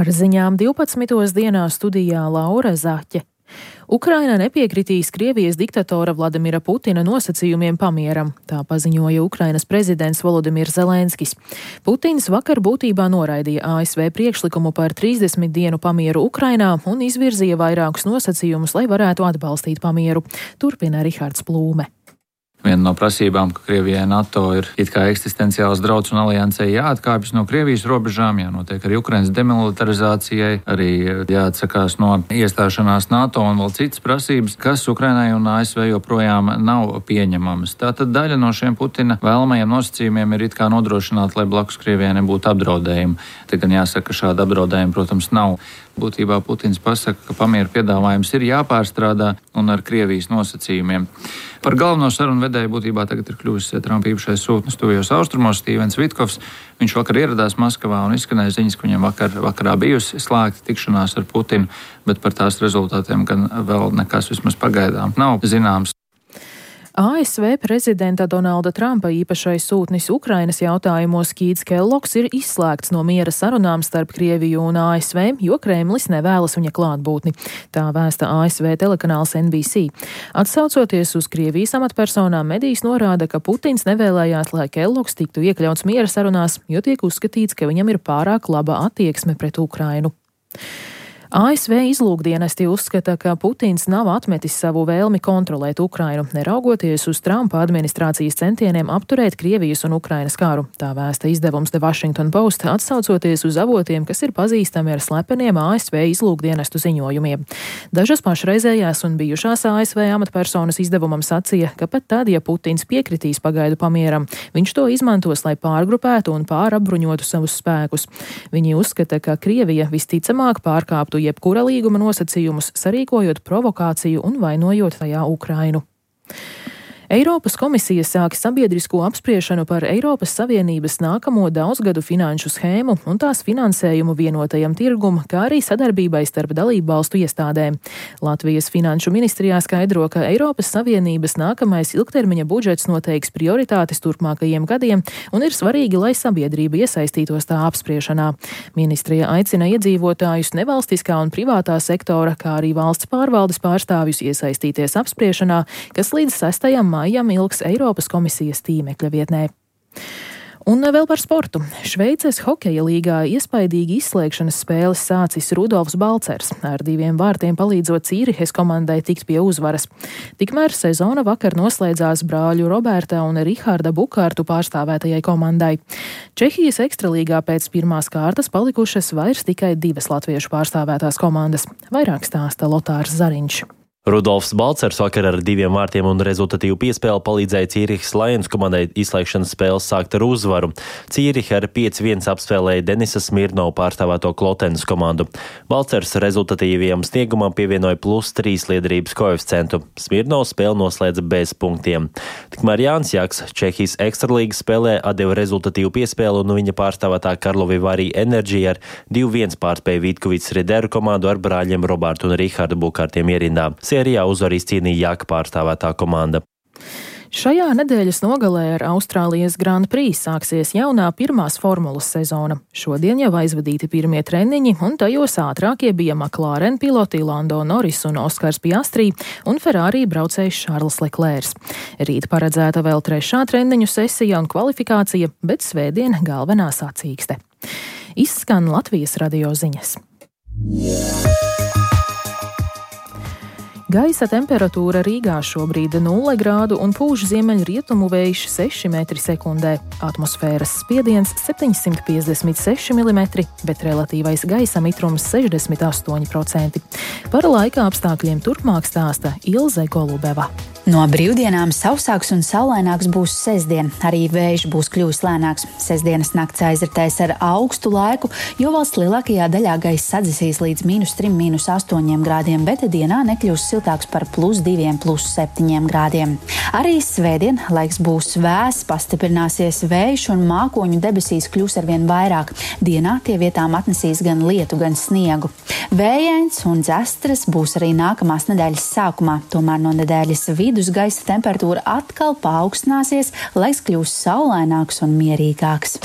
Ar ziņām 12. dienā studijā Laura Zaķe. Ukraina nepiekritīs Krievijas diktatora Vladimira Putina nosacījumiem pamieram, tā paziņoja Ukrainas prezidents Volodimirs Zelenskis. Putins vakar būtībā noraidīja ASV priekšlikumu par 30 dienu pamieru Ukrainā un izvirzīja vairākus nosacījumus, lai varētu atbalstīt pamieru. Turpina Rihards Plūme. Viena no prasībām, ka Krievijai NATO ir it kā eksistenciāls drauds un aliansei jāatkāpjas no Krievijas robežām, jānotiek arī Ukrainas demilitarizācijai, arī jāatsakās no iestāšanās NATO un vēl citas prasības, kas Ukrainai un ASV joprojām nav pieņemamas. Tātad daļa no šiem Putina vēlamajiem nosacījumiem ir it kā nodrošināt, lai blakus Krievijai nebūtu apdraudējumi. Te gan jāsaka, ka šāda apdraudējuma, protams, nav. Būtībā Putins pasaka, ka pamieru piedāvājums ir jāpārstrādā un ar Krievijas nosacījumiem. Par galveno sarunu vedēju būtībā tagad ir kļuvis Trumpa īpašais sūtnis tuvajos austrumos Stīvens Vitkovs. Viņš vakar ieradās Maskavā un izskanēja ziņas, ka viņam vakarā bijusi slēgta tikšanās ar Putinu, bet par tās rezultātiem gan vēl nekas vismaz pagaidām nav zināms. ASV prezidenta Donalda Trumpa īpašais sūtnis Ukrainas jautājumos Kīts Kellogs ir izslēgts no miera sarunām starp Krieviju un ASV, jo Kremlis nevēlas viņa klātbūtni. Tā vēsta ASV telekanāls NBC. Atsaucoties uz Krievijas amatpersonām, medijs norāda, ka Putins nevēlējās, lai Kellogs tiktu iekļauts miera sarunās, jo tiek uzskatīts, ka viņam ir pārāk laba attieksme pret Ukrainu. ASV izlūkdienesti uzskata, ka Putins nav atmetis savu vēlmi kontrolēt Ukrainu, neraugoties uz Trumpa administrācijas centieniem apturēt Krievijas un Ukrainas karu. Tā vēsta izdevums The Washington Post, atsaucoties uz avotiem, kas ir pazīstami ar slepeniem ASV izlūkdienestu ziņojumiem. Dažas pašreizējās un bijušās ASV amatpersonas izdevumam sacīja, ka pat tad, ja Putins piekritīs pagaidu pamieram, viņš to izmantos, lai pārgrupētu un pārapbruņotu savus spēkus. Viņi uzskata, ka Krievija visticamāk pārkāptu jebkura līguma nosacījumus, sarīkojot provokāciju un vainojot tajā Ukrainu. Eiropas komisija sāk sabiedrisko apspriešanu par Eiropas Savienības nākamo daudzgadu finanšu schēmu un tās finansējumu vienotajam tirgum, kā arī sadarbībai starp dalību valstu iestādēm. Latvijas finanšu ministrijā skaidro, ka Eiropas Savienības nākamais ilgtermiņa budžets noteiks prioritātes turpmākajiem gadiem un ir svarīgi, lai sabiedrība iesaistītos tā apspriešanā. Ministrija aicina iedzīvotājus nevalstiskā un privātā sektora, kā arī valsts pārvaldes pārstāvjus iesaistīties apspriešanā, kas līdz 6. maijam ilgs Eiropas komisijas tīmekļa vietnē. Un vēl par sportu. Šveices hokeja līgā iespaidīgi izslēgšanas spēles sācis Rudolfs Balcers, ar 2 vārtiem palīdzot Cīrihes komandai tikt pie uzvaras. Tikmēr sezona vakar noslēdzās brāļu Roberta un Riharda Bukārtu pārstāvētajai komandai. Čehijas ekstralīgā pēc pirmās kārtas palikušas vairs tikai 2 latviešu pārstāvētās komandas. Vairāk stāsta Lotārs Zariņš. Rudolfs Balcers vakar ar 2 vārtiem un rezultatīvu piespēli palīdzēja Cīrihas Lions komandai izslēgšanas spēles sākt ar uzvaru. Cīriha ar 5-1 apspēlēja Denisa Smirnovu pārstāvēto Klotenes komandu. Balcers rezultatīvajam sniegumam pievienoja +3 liederības koeficientu. Smirnovs spēli noslēdza bez punktiem. Tikmēr Jānis Jaks Čehijas ekstralīgas spēlē atdeva rezultatīvu piespēli un viņa pārstāvētā Karlovy Vary Energy ar 2-1 pārspēja Vítkovicas Rideru komandu ar brāļiem Robertu un Rihardu Bukārtiem ierindā. Sērijā uzvaru izcīnīja Jaka pārstāvētā komanda. Šajā nedēļas nogalē ar Austrālijas Grand Prix sāksies jaunā pirmās formulas sezona. Šodien jau aizvadīti pirmie treniņi, un tajos ātrākie bija McLaren piloti Lando Norris un Oskars Piastri un Ferrari braucējs Šarls Leclercs. Rīt paredzēta vēl 3. treniņu sesija un kvalifikācija, bet svētdien galvenā sacīkste. Izskan Latvijas radio ziņas. Gaisa temperatūra Rīgā šobrīd 0 grādu un pūš ziemeļrietumu vējš 6 metri sekundē. Atmosfēras spiediens 756 mm, bet relatīvais gaisa mitrums 68%. Par laika apstākļiem turpmāk stāsta Ilze Golubeva. No brīvdienām sausāks un saulaināks būs sestdien, arī vējš būs kļuvis lēnāks. Sestdienas nakts aizritēs ar augstu laiku, jo valsts lielākajā daļā gaisa sadzisīs līdz -3, -8 grādiem, bet dienā nekļūs siltāks par +2, +7 grādiem. Arī svētdien laiks būs vēss, pastiprināsies vējš un mākoņu debesīs kļūs arvien vairāk. Dienā tie vietām atnesīs gan lietu, gan sniegu. Vējains un dzestras būs arī nākamās nedēļas sākumā, tomēr no nedēļas vidus gaisa temperatūra atkal paaugstināsies, laiks kļūs saulaināks un mierīgāks.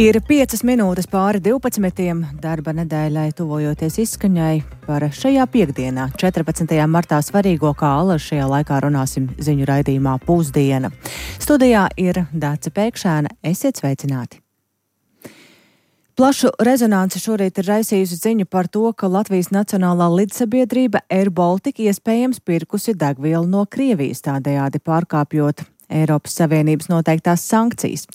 Ir 5 minūtes pāri 12. Darba nedēļai tuvojoties izskaņai par šajā piekdienā, 14. martā svarīgo, kā Alas šajā laikā runāsim ziņu raidījumā Pusdiena. Studijā ir Dāce Pēkšēna. Esiet sveicināti! Plašu rezonanci šorīt ir raisījusi ziņu par to, ka Latvijas Nacionālā lidsabiedrība Air Baltica iespējams pirkusi degvielu no Krievijas, tādējādi pārkāpjot Eiropas Savienības noteiktās sankcijas.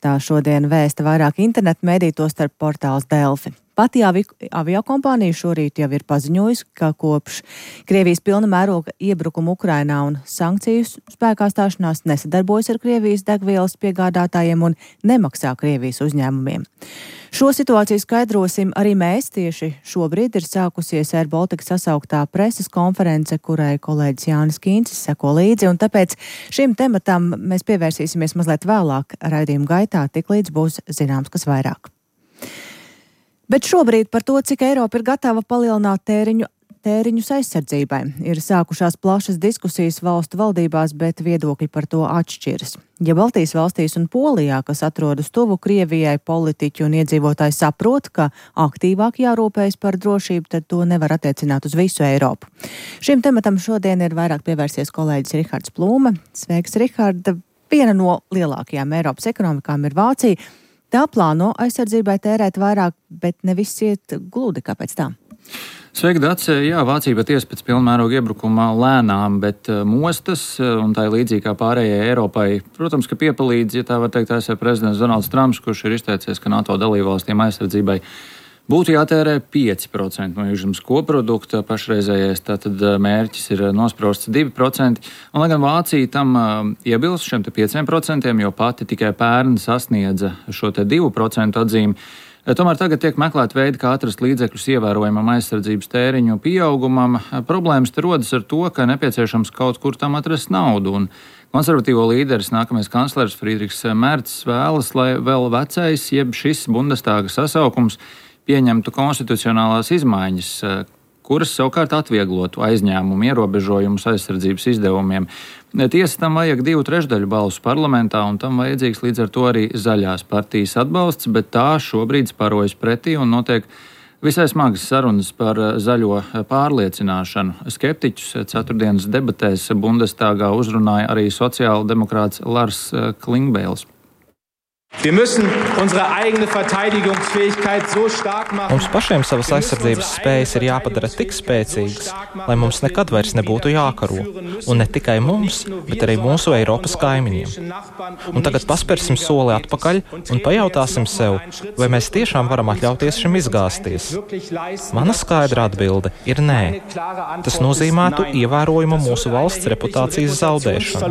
Tā šodien vēsta vairāk internetu mediju, tostarp portāls Delfi. Pati aviokompānija šorīt jau ir paziņojusi, ka kopš Krievijas pilna mēroga iebrukuma Ukrainā un sankciju spēkā stāšanās nesadarbojas ar Krievijas degvielas piegādātājiem un nemaksā Krievijas uzņēmumiem. Šo situāciju skaidrosim arī mēs. Tieši šobrīd ir sākusies Air Baltica sasauktā preses konference, kurai kolēģis Jānis Kīncis seko līdzi, un tāpēc šim tematam mēs pievērsīsimies mazliet vēlāk raidījuma gaitā, tiklīdz būs zināms, kas vairāk. Bet šobrīd par to, cik Eiropa ir gatava palielināt tēriņus aizsardzībai. Ir sākušās plašas diskusijas valstu valdībās, bet viedokļi par to atšķiras. Ja Baltijas valstīs un Polijā, kas atrodas tuvu Krievijai, politiķi un iedzīvotāji saprot, ka aktīvāk jārūpējas par drošību, tad to nevar attiecināt uz visu Eiropu. Šim tematam šodien ir vairāk pievērsies kolēģis Rihards Plūme. Sveiks, Rihard! Viena no lielākajām Eiropas ekonomikām ir Vācija. Tā plāno aizsardzībai tērēt vairāk, bet ne viss iet gludi. Kāpēc tā? Sveiki, Dace! Jā, Vācija patiesi pēc pilnmēroga iebrukuma lēnām, bet mostas, un tā ir līdzīgi kā pārējai Eiropai. Protams, ka piepalīdz, ja tā var teikt, ASV prezidents Donalds Trumps, kurš ir izteicies, ka NATO dalībvalstīm aizsardzībai būtu jātērē 5% no iekšzemes koprodukta, pašreizējais tātad mērķis ir nosprausts 2%, un lai gan Vācija tam iebilst šiem 5%, jo pati tikai pērn sasniedza šo 2% atzīmi, tomēr tagad tiek meklēt veidi, kā atrast līdzekļus ievērojamam aizsardzības tēriņu pieaugumam. Problēmas te rodas ar to, ka nepieciešams kaut kur tam atrast naudu, un konservatīvo līderis, nākamais kanclers Friedrichs Mercs vēlas, lai vēl vecais, jeb šis Bundestāga sasaukums pieņemtu konstitucionālās izmaiņas, kuras savukārt atvieglotu aizņēmumu ierobežojumus aizsardzības izdevumiem. Tiesa, tam vajag 2/3 balsu parlamentā, un tam vajadzīgs līdz ar to arī zaļās partijas atbalsts, bet tā šobrīd sparojas pretī un notiek visai smagas sarunas par zaļo pārliecināšanu. Skeptiķus ceturtdienas debatēs Bundestāgā uzrunāja arī sociāldemokrāts Lars Klingbeils. Mums pašiem savas aizsardzības spējas ir jāpadara tik spēcīgas, lai mums nekad vairs nebūtu jākaro. Un ne tikai mums, bet arī mūsu Eiropas kaimiņiem. Un tagad paspērsim soli atpakaļ un pajautāsim sev, vai mēs tiešām varam atļauties šim izgāzties. Mana skaidra atbilde ir nē. Tas nozīmētu ievērojumu mūsu valsts reputācijas zaudēšanu.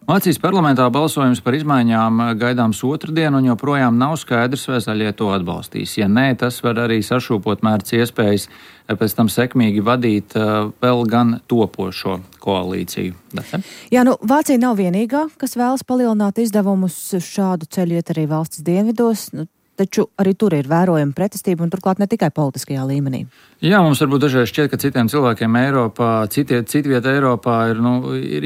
Vācijas parlamentā balsojums par izmaiņām gaidāms otrdien, un joprojām nav skaidrs, vai zaļie to atbalstīs. Ja nē, tas var arī sašūpot Merca iespējas pēc tam sekmīgi vadīt vēl gan topošo koalīciju. Jā, Vācija nav vienīgā, kas vēlas palielināt izdevumus. Šādu ceļu iet arī valsts dienvidos. Taču arī tur ir vērojama pretestība, un turklāt ne tikai politiskajā līmenī. Jā, mums varbūt dažreiz šķiet, ka citiem cilvēkiem Eiropā, citvieta Eiropā ir,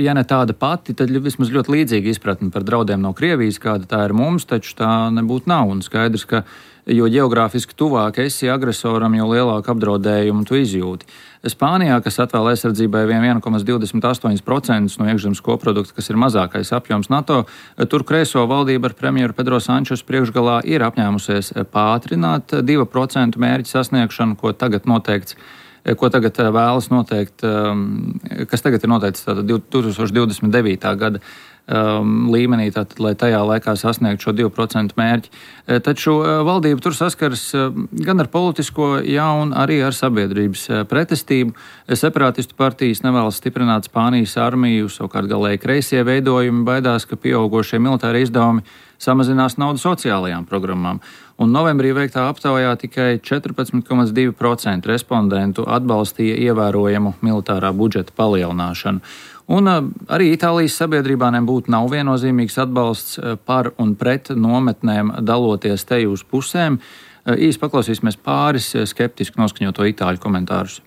ja ne tāda pati, tad vismaz ļoti līdzīga izpratne par draudiem no Krievijas, kāda tā ir mums, taču tā nebūtu nav. Un skaidrs, ka jo ģeogrāfiski tuvāk esi agresoram, jo lielāku apdraudējumu tu izjūti. Spānijā, kas atvēl aizsardzībai 1,28% no iekšzemes koprodukta, kas ir mazākais apjoms NATO, tur kreiso valdība ar premjeru Pedro Sančesu priekšgalā ir apņēmusies pātrināt 2% mērķi sasniegšanu, ko tagad vēlas noteikt, kas tagad ir noteikts 2029. gada līmenī, tātad, lai tajā laikā sasniegtu šo 2% mērķi. Taču valdība tur saskaras gan ar politisko, un arī ar sabiedrības pretestību. Separātistu partijas nevēlas stiprināt Spānijas armiju, savukārt galēji kreisie veidojumi baidās, ka pieaugošie militāri izdevumi samazinās naudu sociālajām programmām. Un novembrī veiktā aptaujā tikai 14,2% respondentu atbalstīja ievērojamu militārā budžeta palielināšanu. Un arī Itālijas sabiedrībā nebūtu nav viennozīmīgs atbalsts par un pret nometnēm daloties te uz pusēm. Īsi paklausīsimies pāris skeptiski noskaņoto itāļu komentārus.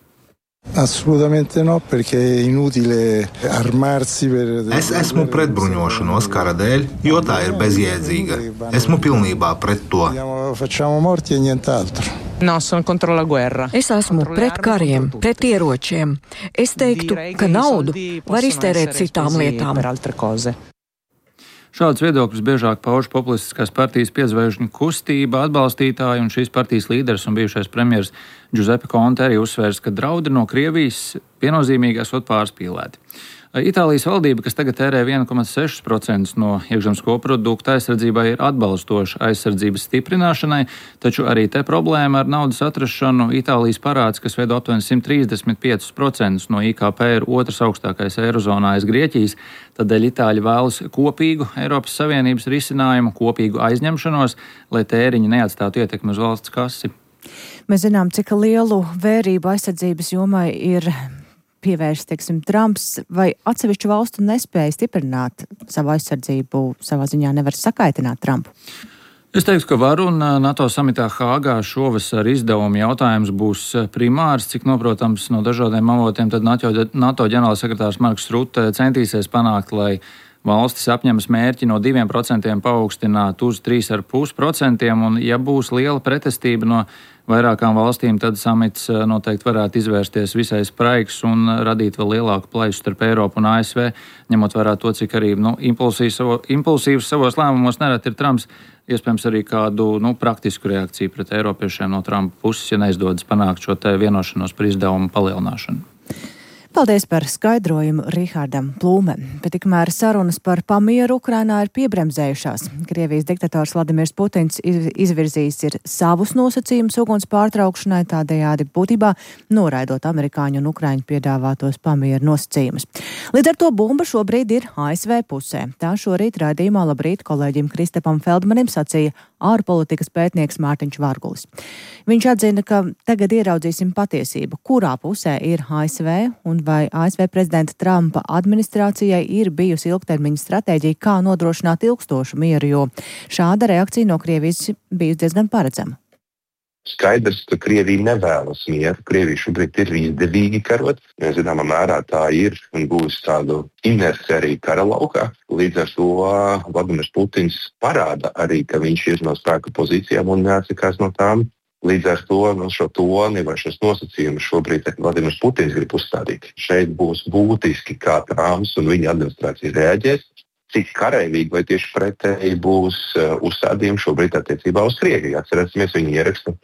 Assolutamente no, perché è inutile armarsi per... Es esmu pret bruņošanos kara dēļ, jo tā ir bezjēdzīga. Esmu pilnībā pret to. Facciamo morti e nient'altro. No, sono contro la guerra. Es esmu pret kariem, pret ieročiem. Es teiktu, ka naudu var iztērēt citām lietām. Šādus viedokļus biežāk pauž populistiskās partijas piedzvaigžņu kustība atbalstītāji, un šīs partijas līderis un bijušais premjers Giuseppe Conte arī uzsvērs, ka draudi no Krievijas viennozīmīgi esot pārspīlēti. Itālijas valdība, kas tagad tērē 1,6% no iekšzemes koprodukta aizsardzībai, ir atbalstoša aizsardzības stiprināšanai, taču arī te problēma ar naudas atrašanu. Itālijas parāds, kas veido aptuveni 135% no IKP, ir otrs augstākais Eirozonā aiz Grieķijas, tādēļ Itāļi vēlas kopīgu Eiropas Savienības risinājumu, kopīgu aizņemšanos, lai tēriņi neatstātu ietekmi uz valsts kasi. Mēs zinām, cik lielu vērību aizsardzības jomai ir pievērst, Trumps, vai atsevišķu valstu nespēja stiprināt savu aizsardzību, savā ziņā nevar sakaitināt Trumpu? Es teiktu, ka var, un NATO samitā Hāgā šovasar izdevuma jautājums būs primārs. Cik noprotams no dažādiem avotiem, tad NATO ģenerālsekretārs Marks Rutte centīsies panākt, lai valstis apņemas mērķi no 2% paaugstināt uz 3,5%, un ja būs liela pretestība no vairākām valstīm, tad samits noteikti varētu izvērsties visai spraigs un radīt vēl lielāku plaisu starp Eiropu un ASV, ņemot vērā to, cik arī impulsīvs savos lēmumos nereti ir Trumps, iespējams arī kādu praktisku reakciju pret eiropiešiem no Trumpa puses, ja neizdodas panākt šo te vienošanos par izdevumu palielināšanu. Paldies par skaidrojumu Rihardam Plūmem. Bet tikmēr sarunas par pamieru Ukrainā ir piebremzējušās. Krievijas diktators Vladimirs Putins izvirzījis ir savus nosacījumus uguns pārtraukšanai, tādējādi būtībā noraidot amerikāņu un ukraiņu piedāvātos pamieru nosacījumus. Līdz ar to bumba šobrīd ir ASV pusē. Tā šorīt raidījumā Labrīt kolēģim Kristapam Feldmanim sacīja ārpolitikas pētnieks Mārtiņš Vargulis. Viņš atzina, ka tagad ieraudzīsim patiesību, kurā pusē ir ASV un vai ASV prezidenta Trumpa administrācijai ir bijusi ilgtermiņa stratēģija, kā nodrošināt ilgstošu mieru, jo šāda reakcija no Krievijas bijusi diezgan paredzama. Skaidrs, ka Krievija nevēlas mieru. Krievija šobrīd ir izdevīgi karot. Zināmā mērā tā ir un būs tādu inerci arī kara laukā. Līdz ar to Vladimirs Putins parāda arī, ka viņš ir no spēka pozīcijām un neatsakās no tām. Līdz ar to šo toni vai šos nosacījumus šobrīd Vladimirs Putins grib uzstādīt. Šeit būs būtiski, kā Trumps un viņa administrācija reaģēs, cik karavīgi vai tieši pretēji būs uzstādījumi šobrīd attiecībā uz Krieviju. Atcerēsimies, viņi ieraksta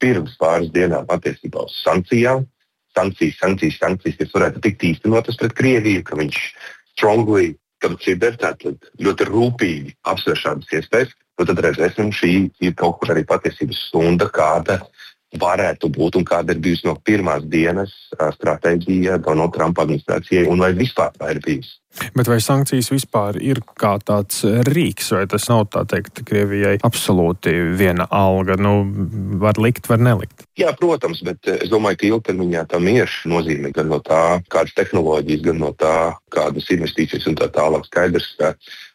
pirms pāris dienām attiecībā uz sankcijām. Sankcijas, kas varētu tikt īstenotas pret Krieviju, ka viņš strongly consider, tātad ļoti rūpīgi apsver šādas iespējas. Tad redzēsim, šī ir kaut kur arī patiesības stunda, kāda varētu būt un kāda ir bijusi no pirmās dienas stratēģija Donalda Trumpa administrācijai un vai vispār tā ir bijusi. Bet vai sankcijas vispār ir kā tāds rīks, vai tas nav tā teikt Krievijai absolūti viena alga, var likt, var nelikt? Jā, protams, bet es domāju, ka ilgtermiņā tam ir nozīme gan no tā, kādas tehnoloģijas, gan no tā, kādas investīcijas un tā tālāk. Skaidrs, ka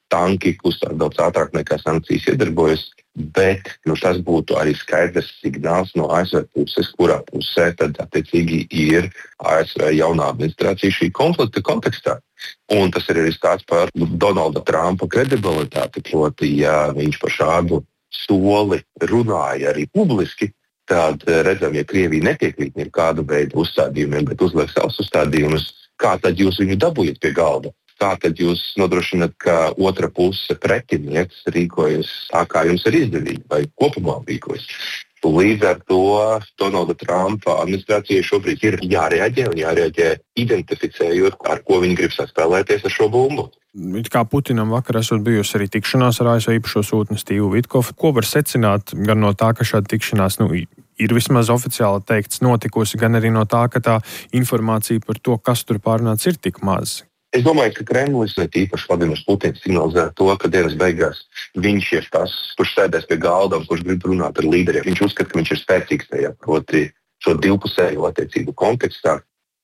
tanki kustās daudz ātrāk nekā sankcijas iedarbojas, bet tas būtu arī skaidrs signāls no ASV puses, kurā pusē tad attiecīgi ir ASV jaunā administrācija šī konflikta kontekstā. Un tas ir arī stāsts par Donalda Trumpa kredibilitāti, proti, ja viņš par šādu soli runāja arī publiski, tad redzam, ja Krievija nepiekrīt nekādu veidu uzstādījumiem, bet uzliek savus uzstādījumus, kā tad jūs viņu dabūjat pie galda? Kā tad jūs nodrošināt, ka otra puse pretinieks rīkojas tā, kā jums ir izdevīgi, vai kopumā rīkojas? Līdz ar to Donalda Trumpa administrācijai šobrīd ir jārēģē un jārēģē identificējot, ar ko viņi grib saspēlēties ar šo bumbu. Kā Putinam vakar esot bijusi arī tikšanās ar ASV īpašo sūtni Stīvu Vitkofu, ko var secināt gan no tā, ka šāda tikšanās ir vismaz oficiāli teikts notikusi, gan arī no tā, ka tā informācija par to, kas tur pārnāc, ir tik maz? Es domāju, ka Kremlis, tīpaši Vladimirs Putins, signalizē to, ka dienas beigās viņš ir tas, kurš sēdēs pie galda un kurš grib runāt ar līderiem. Viņš uzskata, ka viņš ir spēcīgs tajā, proti šo divpusējo attiecību kontekstā.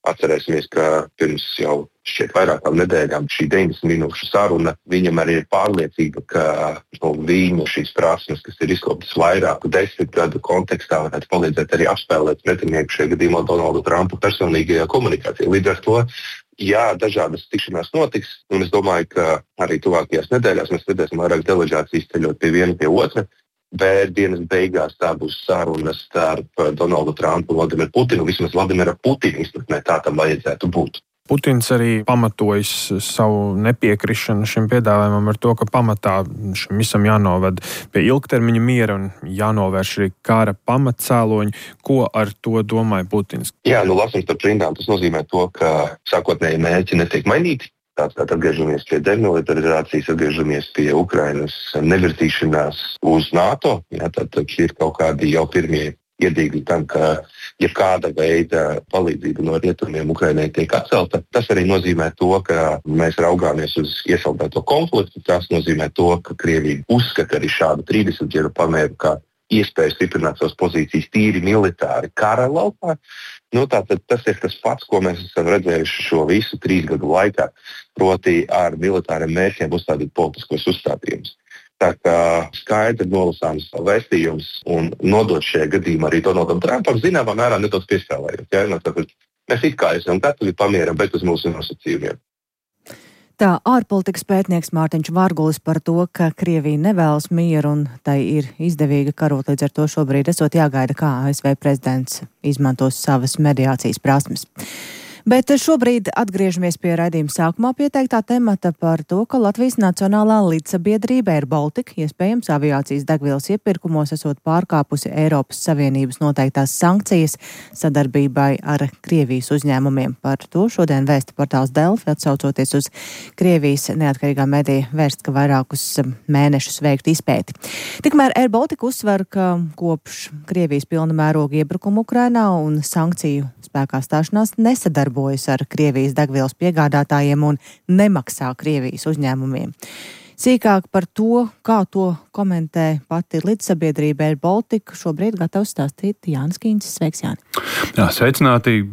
Atcerēsimies, ka pirms jau šķiet vairākām nedēļām šī 90 minūšu saruna, viņam arī ir pārliecība, ka viņu šīs prasmes, kas ir izkoptas vairāku 10 gadu kontekstā, varētu palīdzēt arī apspēlēt pretinieku šajā gadījumā Donaldu Trumpu personīgajā komunikācijā. Līdz ar to, jā, dažādas tikšanās notiks, un es domāju, ka arī tuvākajās nedēļās mēs redzēsim vairāk delegācijas ceļot pie viena pie otra. Bet dienas beigās tā būs saruna starp Donaldu Trumpu un Vladimiru Putinu. Vismaz Vladimira Putina izpratnē tā tam vajadzētu būt. Putins arī pamatojas savu nepiekrišanu šim piedāvājumam ar to, ka pamatā šim visam jānoved pie ilgtermiņa miera un jānovērš arī kara pamatcēloņi. Ko ar to domāja Putins? Jā, lasam starp rindām. Tas nozīmē to, ka sākotnēji mērķi netiek mainīti. Tātad atgriežamies pie demilitarizācijas, atgriežamies pie Ukrainas nevirzīšanās uz NATO. Jā, tātad ir kaut kādi jau pirmie iedīgļi tam, ka jebkāda veida palīdzība no rietumiem Ukrainai tiek atcelta. Tas arī nozīmē to, ka mēs raugāmies uz iesaldēto konfliktu. Tas nozīmē to, ka Krievija uzskata arī šādu 30 gadu pamēru kā iespēju stiprināt savas pozīcijas tīri militāri kara laukā. Tātad tas ir tas pats, ko mēs esam redzējuši šo visu 3 gadu laikā, proti ar militāriem mērķiem uzstādīt politiskos uzstādījumus. Tā kā skaidri nolasāms vēstījums un nodot šajā gadījumā arī Donaldam Trumpam zināmā mērā nedaudz piespēlējot. Tāpēc mēs it kā esam gatavi pamieram, bet uz mūsu nosacījumiem. Tā ārpolitikas pētnieks Mārtiņš Vargulis par to, ka Krievija nevēlas mieru un tai ir izdevīga karot, līdz ar to šobrīd esot jāgaida, kā ASV prezidents izmantos savas mediācijas prasmes. Bet šobrīd atgriežamies pie raidījuma sākumā pieteiktā temata par to, ka Latvijas Nacionālā līdzsabiedrība Air Baltica iespējams aviācijas degvielas iepirkumos esot pārkāpusi Eiropas Savienības noteiktās sankcijas sadarbībai ar Krievijas uzņēmumiem. Par to šodien vēsta portāls Delfi, atsaucoties uz Krievijas neatkarīgā medija vērsts, ka vairākus mēnešus veiktu izpēti. Tikmēr Air Baltica uzsver, ka kopš Krievijas pilna mēroga iebrukuma Ukrainā un sankciju spēkā stāšanās nesadarbojas ar Krievijas degvielas piegādātājiem un nemaksā Krievijas uzņēmumiem. Sīkāk par to, kā to komentē pati līdzsabiedrība Air Baltica, šobrīd gatavs stāstīt Jānis Kīncis. Sveiks, Jāni! Jā, sveicināti!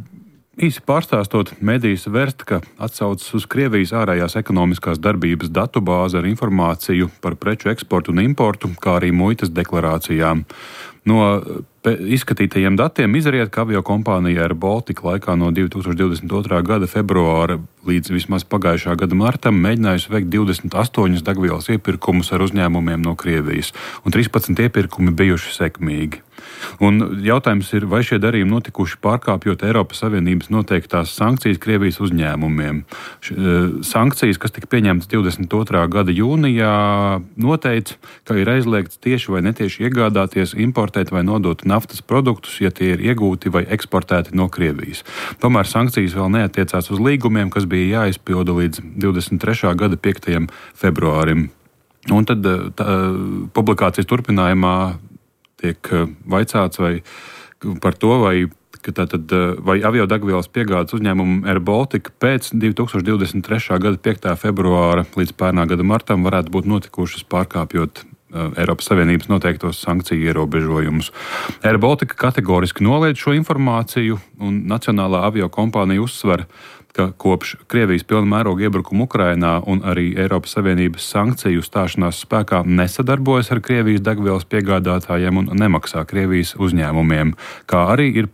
Īsi pārstāstot, medijas Verstka atsaucas uz Krievijas ārējās ekonomiskās darbības datubāzi ar informāciju par preču eksportu un importu, kā arī muitas deklarācijām. No izskatītajiem datiem izriet, ka aviokompānija Air Baltica laikā no 2022. gada februāra līdz vismaz pagājušā gada martam mēģinājusi veikt 28 degvielas iepirkumus ar uzņēmumiem no Krievijas, un 13 iepirkumi bijuši sekmīgi. Un jautājums ir, vai šie darījumi notikuši pārkāpjot Eiropas Savienības noteiktās sankcijas Krievijas uzņēmumiem. Sankcijas, kas tika pieņemtas 22. gada jūnijā, noteica, ka ir aizliegts tieši vai netieši iegādāties, importēt vai nodot naftas produktus, ja tie ir iegūti vai eksportēti no Krievijas. Tomēr sankcijas vēl neatiecās uz līgumiem, kas bija jāizpilda līdz 23. gada 5. februārim. Un tad publikācijas turpinājumā tiek vaicāts par to, vai aviodegvielas piegādes uzņēmumu Air Baltica pēc 2023. gada 5. februāra līdz pērnā gada martam varētu būt notikušas pārkāpjot Eiropas Savienības noteiktos sankciju ierobežojumus. Air Baltica kategoriski noliedz šo informāciju, un Nacionālā aviokompānija uzsver, ka kopš Krievijas pilna mēroga iebrukuma Ukrainā un arī Eiropas Savienības sankciju stāšanās spēkā nesadarbojas ar Krievijas degvielas piegādātājiem un nemaksā Krievijas uzņēmumiem, kā arī ir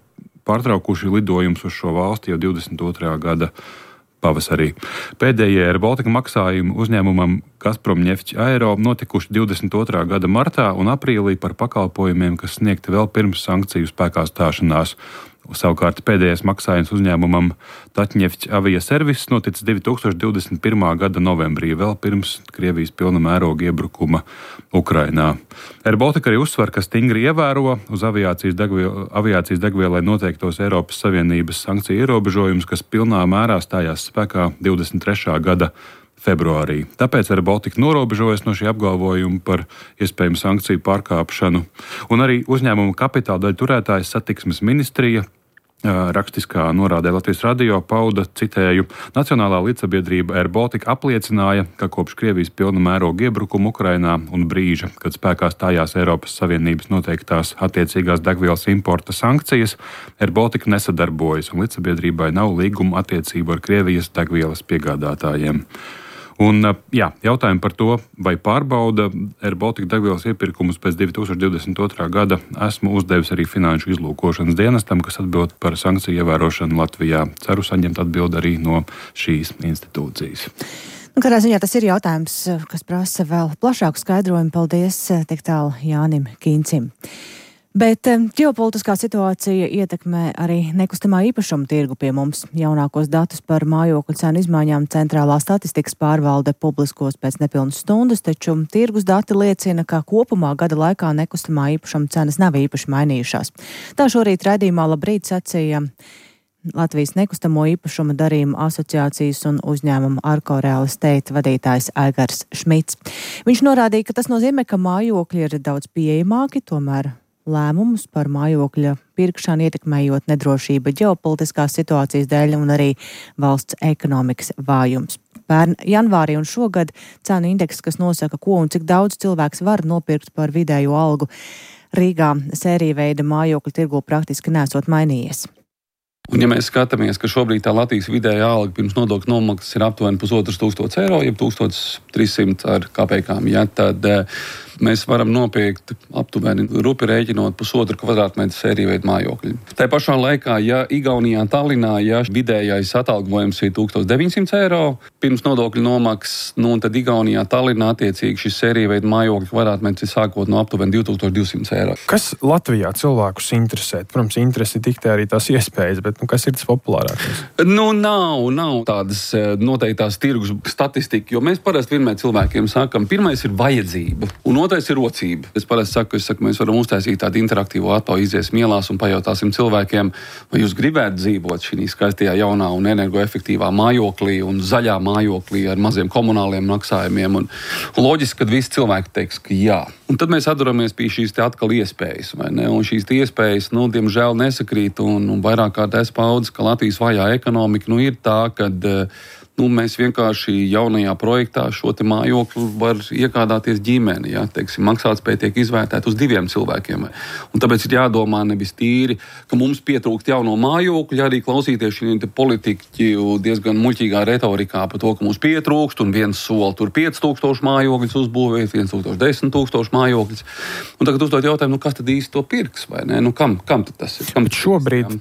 pārtraukuši lidojumus uz šo valsti jau 22. gada pavasarī. Pēdējie Air Baltica maksājumi uzņēmumam Gazpromneft Aero notikuši 22. gada martā un aprīlī par pakalpojumiem, kas sniegti vēl pirms sankciju spēkā stāšanās. Savukārt pēdējais maksājums uzņēmumam Tatņefts Aviaserviss noticis 2021. gada novembrī, vēl pirms Krievijas pilna mēroga iebrukuma Ukrainā. Air Baltica arī uzsver, ka stingri ievēro uz aviācijas degvielai noteiktos Eiropas Savienības sankciju ierobežojumus, kas pilnā mērā stājās spēkā 23. gada februārī. Tāpēc Air Baltica norobežojas no šī apgalvojuma par iespējamu sankciju pārkāpšanu. Un arī uzņēmuma kapitāla daļu turētājs Satiksmes ministrija rakstiskā norādē Latvijas radio pauda, citēju, Nacionālā līdzsabiedrība Air Baltica apliecināja, ka kopš Krievijas pilna mēroga iebrukuma Ukrainā un brīža, kad spēkā stājās Eiropas Savienības noteiktās attiecīgās degvielas importa sankcijas, Air Baltica nesadarbojas un līdzsabiedrībai nav līguma attiecību ar Krievijas degvielas piegādātājiem. Un, jautājumi par to, vai pārbauda Air Baltica degvielas iepirkumus pēc 2022. gada, esmu uzdevis arī Finanšu izlūkošanas dienestam, kas atbild par sankciju ievērošanu Latvijā. Ceru saņemt atbildi arī no šīs institūcijas. Kādā ziņā tas ir jautājums, kas prasa vēl plašāku skaidrojumu. Paldies tik tālu Jānim Kīncim. Bet ģeopolitiskā situācija ietekmē arī nekustamā īpašuma tirgu pie mums. Jaunākos datus par mājokļu cenu izmaiņām Centrālā statistikas pārvalde publiskos pēc nepilnas stundas, taču tirgus dati liecina, ka kopumā gada laikā nekustamā īpašuma cenas nav īpaši mainījušās. Tā šorīt raidījumā Labrīt sacīja Latvijas nekustamo īpašuma darījumu asociācijas un uzņēmuma Arko Real Estate vadītājs Aigars Šmits. Viņš norādīja, ka tas nozīmē, ka mājokļi ir daudz pieejamāki, tomēr lēmumus par mājokļa pirkšanu ietekmējot nedrošība ģeopolitiskās situācijas dēļ un arī valsts ekonomikas vājums. Pērn janvārī un šogad cenu indeks, kas nosaka, ko un cik daudz cilvēks var nopirkt par vidējo algu, Rīgā sērija veida mājokļu tirgu praktiski nesot mainījies. Un ja mēs skatāmies, ka šobrīd tā Latvijas vidējā alga pirms nodokļu nomaksas ir aptuveni 1,500 eiro, jeb 1300 ar kapekām, tad mēs varam nopirkt aptuveni rupi rēķinot 1,5 kvadrātmetru sēriju veidu mājokļu. Tā pašā laikā, ja Igaunijā, Tallinā, vidējais atalgojums ir 1900 eiro pirms nodokļu nomaksas, tad Igaunijā, Tallinā attiecīgi šis sēriju veidu mājokļu kvadrātmetrs ir sākot no aptuveni 2200 eiro. Kas Latvijā cilvēkus interesē? Protams, interesi diktē arī tās iespējas, bet kas ir tas populārākais? Nav tādas noteiktās tirgus statistika, jo mēs parasti vienmēr cilvēkiem sakam, pirmais ir vajadzība un otrais ir rocība. Es parasti saku, mēs varam uztaisīt tādu interaktīvu atomu, iziesim ielās un pajautāsim cilvēkiem, vai jūs gribētu dzīvot šī skaistajā jaunā un energoefektīvā mājoklī un zaļā mājoklī ar maziem komunāliem maksājumiem. Un loģiski, kad visi cilvēki teiks, ka jā. Un tad mēs atduramies pie šīs atkal iespējas, vai ne? Un šīs iespējas, diemžēl nesakrīt un vairāk kārt es paudzes, ka Latvijas vājā ekonomika ir tā, kad mēs vienkārši jaunajā projektā šo te mājokli var iegādāties ģimeni. Maksātspēja tiek izvērtēta uz 2 cilvēkiem. Un tāpēc ir jādomā nevis tīri, ka mums pietrūkst jauno mājokļu, arī klausīties šī politiķu diezgan muļķīgā retorikā par to, ka mums pietrūkst un viens soli tur 5000 mājokļus uzbūvēt, 10 000 mājokļus. Un tagad uzdot jautājumu, kas tad īsti to pirks, vai ne? Kam tad tas ir? Bet šobrīd,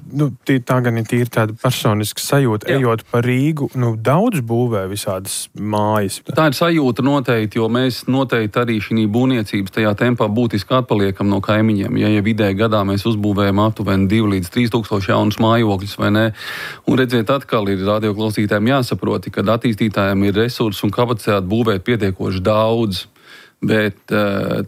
tā gan ir tīri tāda personiska sajūta, ejot pa Rīgu, daudz būvē visādas mājas. Tā ir sajūta noteikti, jo mēs noteikti arī šī būvniecības tajā tempā būtiski atpaliekam no kaimiņiem. Ja vidēji gadā mēs uzbūvējam aptuveni 2 līdz 3 tūkstoši jaunus mājokļus, vai ne? Un redziet, atkal ir radioklausītājiem jāsaproti, ka attīstītājiem ir resursi un kapacitāte būvēt pietiekoši daudz. Bet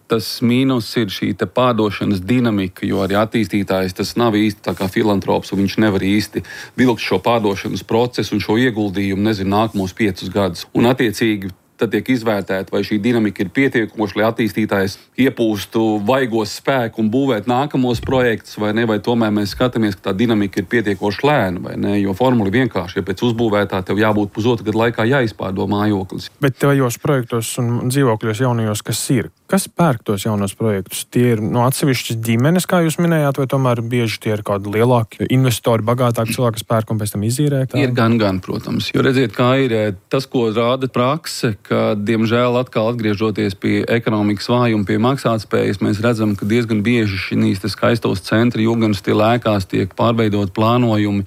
tas mīnus ir šī pārdošanas dinamika, jo arī attīstītājs tas nav īsti tā kā filantrops, un viņš nevar īsti vilkt šo pārdošanas procesu un šo ieguldījumu, nākamos 5 gadus. Un attiecīgi tad tiek izvērtēta, vai šī dinamika ir pietiekoša, lai attīstītājs iepūstu vaigos spēku un būvēt nākamos projektus, vai ne, vai tomēr mēs skatāmies, ka tā dinamika ir pietiekoši lēna, vai ne, jo formula ir vienkārši, ja pēc uzbūvētā tev jābūt 1,5 gadu laikā jāizpārdo mājoklis. Bet tajos projektos un dzīvokļos jaunajos, kas pērk tos jaunos projektus? Tie ir atsevišķas ģimenes, kā jūs minējāt, vai tomēr bieži tie ir kādi lielāki investori, bagātāki cilvēki, kas pērk un pēc tam izīrē? Ir gan, protams. Jo redziet, kā ir tas, ko rāda prakse, ka, diemžēl, atkal atgriežoties pie ekonomikas vājuma, pie maksātspējas, mēs redzam, ka diezgan bieži šīs skaistos centri, jūgans tie lēkās, tiek pārveidot plānojumi.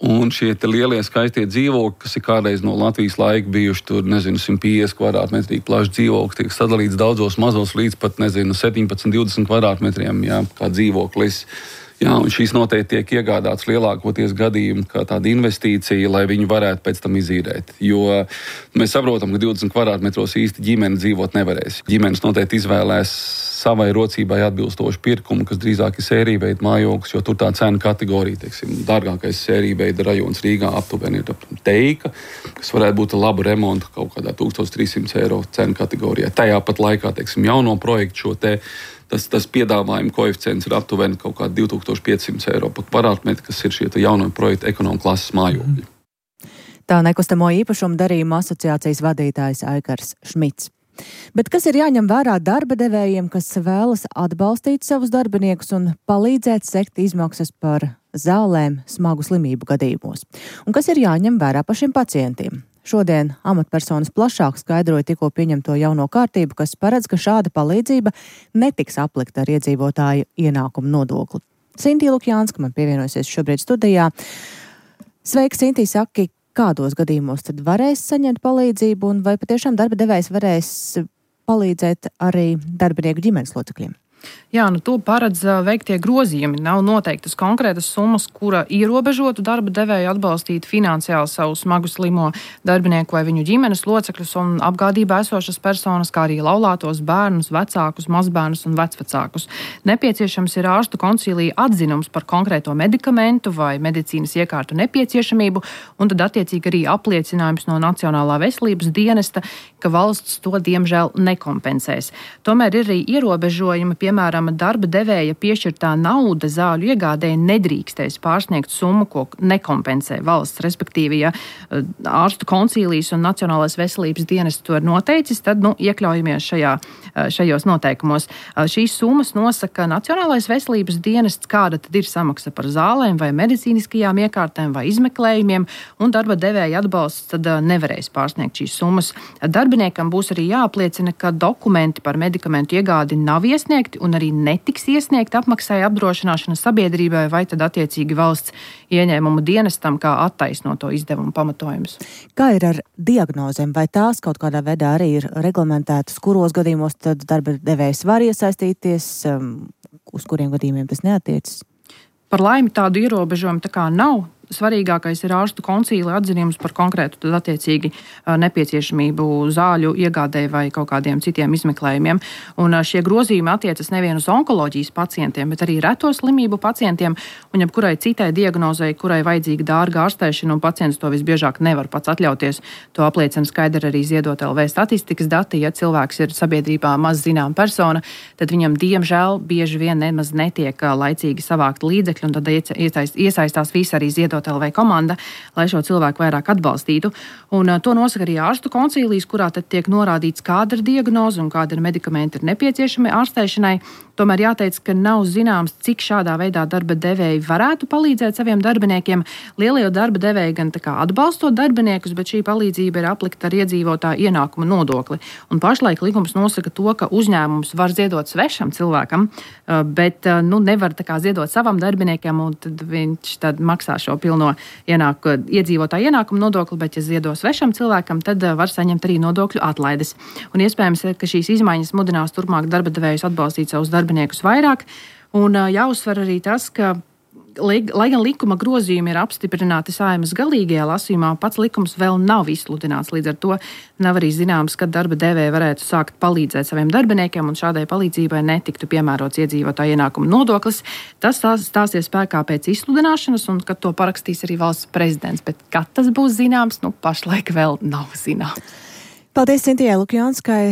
Un šie lielie skaistie dzīvokļi, kas ir kādreiz no Latvijas laika bijuši tur, 150 kvadrātmetrīgi plašs dzīvoklis, tiek sadalīts daudzos mazos līdz pat, 17-20 kvadrātmetriem, kā dzīvoklis. Un šīs noteikti tiek iegādāts lielākoties gadījumi kā tāda investīcija, lai viņi varētu pēc tam izīrēt. Jo mēs saprotam, ka 20 kvadrātmetros īsti ģimene dzīvot nevarēs. Ģimenes noteikti izvēlēs savai rocībai atbilstošu pirkumu, kas drīzāk ir sērija veida mājoklis, jo tur tā cena kategorija, dārgākais sērija veida rajons Rīgā aptuveni ir Teika, kas varētu būt laba remonta kaut kādā 1300 eiro cena kategorijā. Tajā pat laikā, jauno projektu šo te tas piedāvājuma koeficients ir aptuveni kaut kādi 2500 eiro par kvadrātmetru, kas ir šie jauno projektu ekonomikas klases mājokļi. Tā nekustamo īpašumu darījuma asociācijas vadītājs Aikars Šmits. Bet kas ir jāņem vērā darba devējiem, kas vēlas atbalstīt savus darbiniekus un palīdzēt sekt izmaksas par zālēm smagu slimību gadījumos? Un kas ir jāņem vērā pašiem pacientiem? Šodien amatpersonas plašāk skaidroja tikko pieņemto jauno kārtību, kas paredz, ka šāda palīdzība netiks aplikta ar iedzīvotāju ienākumu nodokli. Sintī Lukjānska man pievienosies šobrīd studijā. Sveika, Sintī, saki, kādos gadījumos tad varēs saņemt palīdzību un vai patiešām darba devējs varēs palīdzēt arī darbinieku ģimenes locekļiem? Jā, to paredz veiktie grozījumi. Nav noteiktas konkrētas summas, kura ierobežotu darba devēju atbalstīt finansiāli savu smagu slimo darbinieku vai viņu ģimenes locekļus un apgādībā esošas personas, kā arī laulātos bērnus, vecākus, mazbērnus un vecvecākus. Nepieciešams ir ārstu koncīlija atzinums par konkrēto medikamentu vai medicīnas iekārtu nepieciešamību, un tad attiecīgi arī apliecinājums no Nacionālā veselības dienesta, ka valsts to diemžēl nekompensēs. Tomēr ir arī ierobežojumi, piemēram, darba devēja piešķirtā nauda zāļu iegādēji nedrīkstēs pārsniegt summu, ko nekompensē valsts, respektīvi, ja ārstu koncīlijas un Nacionālais veselības dienests to ir noteicis, tad iekļaujamies šajos noteikumos. Šīs summas nosaka Nacionālais veselības dienests, kāda tad ir samaksa par zālēm vai medicīniskajām iekārtēm vai izmeklējumiem, un darba devēja atbalsts tad nevarēs pārsniegt šīs summas. Darbiniekam būs arī jāapliecina, ka dokumenti par medikamentu iegādi nav iesniegti un arī netiks iesniegt apmaksāja apdrošināšana sabiedrībai vai tad attiecīgi valsts ieņēmumu dienestam kā attaisnoto izdevumu pamatojums. Kā ir ar diagnozēm? Vai tās kaut kādā veidā arī ir reglamentētas, kuros gadījumos tad darba devējs var iesaistīties, uz kuriem gadījumiem tas neatiecas? Par laimi tādu ierobežojumu tā kā nav. Svarīgākais ir ārstu koncīlija atzinums par konkrētu tad attiecīgi nepieciešamību zāļu iegādēji vai kaut kādiem citiem izmeklējumiem. Un šie grozījumi attiecas nevien uz onkoloģijas pacientiem, bet arī reto slimību pacientiem un jebkurai citai diagnozei, kurai vajadzīga dārga ārstēšana, un pacients to visbiežāk nevar pats atļauties. To apliecina skaidri arī Ziedot LV statistikas dati. Ja cilvēks ir sabiedrībā maz zinām persona, tad viņam diemžēl bieži vien nemaz netiek laicīgi savākt līdzekļi, un tad iesaistās visi arī Ziedot LV komanda, lai šo cilvēku vairāk atbalstītu. Un to nosaka arī ārstu koncīlijas, kurā tad tiek norādīts, kāda ir diagnoze un kāda ir medikamenti ir nepieciešami ārstēšanai. Tomēr jāteic, ka nav zināms, cik šādā veidā darba devēji varētu palīdzēt saviem darbiniekiem. Lielie darba devēji gan tā kā atbalstot darbiniekus, bet šī palīdzība ir aplikta ar iedzīvotāju ienākumu nodokli. Un pašlaik likums nosaka to, ka uzņēmums var ziedot svešam cilvēkam, bet nevar tā kā ziedot savam darbiniekam, un tad viņš tad maksā šo pilno iedzīvotāju ienākumu nodokli, bet ja ziedo svešam cilvēkam, tad var saņemt arī nodokļu atlaides. Un iespējams, ka šīs izmaiņas mudinās turpmāk darba devējus atbalstīt savus darbiniekus vairāk. Un jāuzsver arī tas, ka lai gan likuma grozījumi ir apstiprināti Saeimas galīgajā lasījumā, pats likums vēl nav izsludināts. Līdz ar to nav arī zināms, kad darba devēja varētu sākt palīdzēt saviem darbiniekiem, un šādai palīdzībai netiktu piemērots iedzīvotāju ienākumu nodoklis. Tas stāsies spēkā pēc izsludināšanas, un kad to parakstīs arī valsts prezidents. Bet kad tas būs zināms, pašlaik vēl nav zināms. Paldies Sintijai Lukjānskai.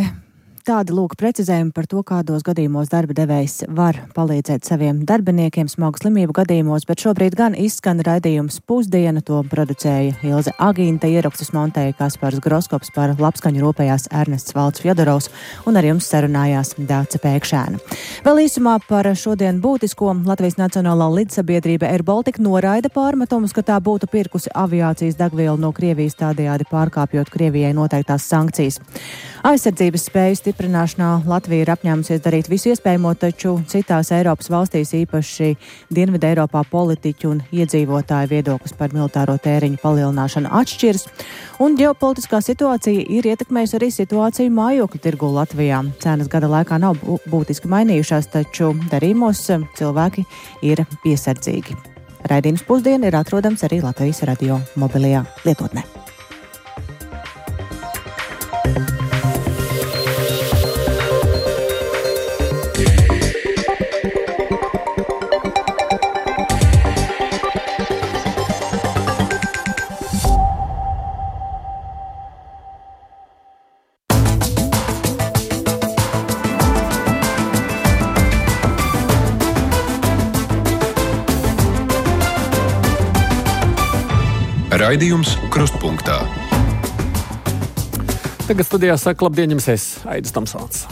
Tādi lūk precizējumi par to, kādos gadījumos darba devējs var palīdzēt saviem darbiniekiem smagu slimību gadījumos, bet šobrīd gan izskan raidījums Pusdiena, to producēja Ilze Agīnta, ierakstus montēja Kaspars Groskops, par labskaņu rūpējās Ernests Valds Fjodorovs un ar jums sarunājās Dāce Pēkšēna. Vēl īsumā par šodien būtisko. Latvijas Nacionālā lidsabiedrība Air Baltica noraida pārmetumus, ka tā būtu pirkusi aviācijas degvielu no Krievijas, tādējādi pārkāpjot Krievijai noteiktās sankcijas. Aizsardzības spēju stiprināšanā Latvija ir apņēmusies darīt visu iespējamo, taču citās Eiropas valstīs, īpaši Dienvidu Eiropā, politiķu un iedzīvotāju viedoklis par militāro tēriņu palielināšanu atšķiras, un ģeopolitiskā situācija ir ietekmējusi arī situāciju mājokļu tirgu Latvijā. Cenas gada laikā nav būtiski mainījušās, taču darījumos cilvēki ir piesardzīgi. Raidījums Pusdiena ir atrodams arī Latvijas radio mobilajā lietotnē. Raidījums Krustpunktā. Tagad studijā saka labdien jums es, Aidis Tomsons.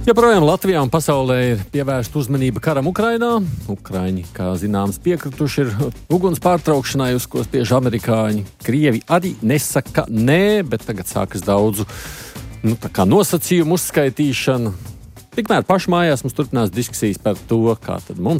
Joprojām Latvijā un pasaulē ir pievērsta uzmanība karam Ukrainā. Ukraiņi, kā zināms, piekrituši ir uguns pārtraukšanai, uz ko spiež amerikāņi. Krievi arī nesaka nē, bet tagad sākas daudzu nosacījumu uzskaitīšana. Tikmēr pašmājās mums turpinās diskusijas par to, kā tad mums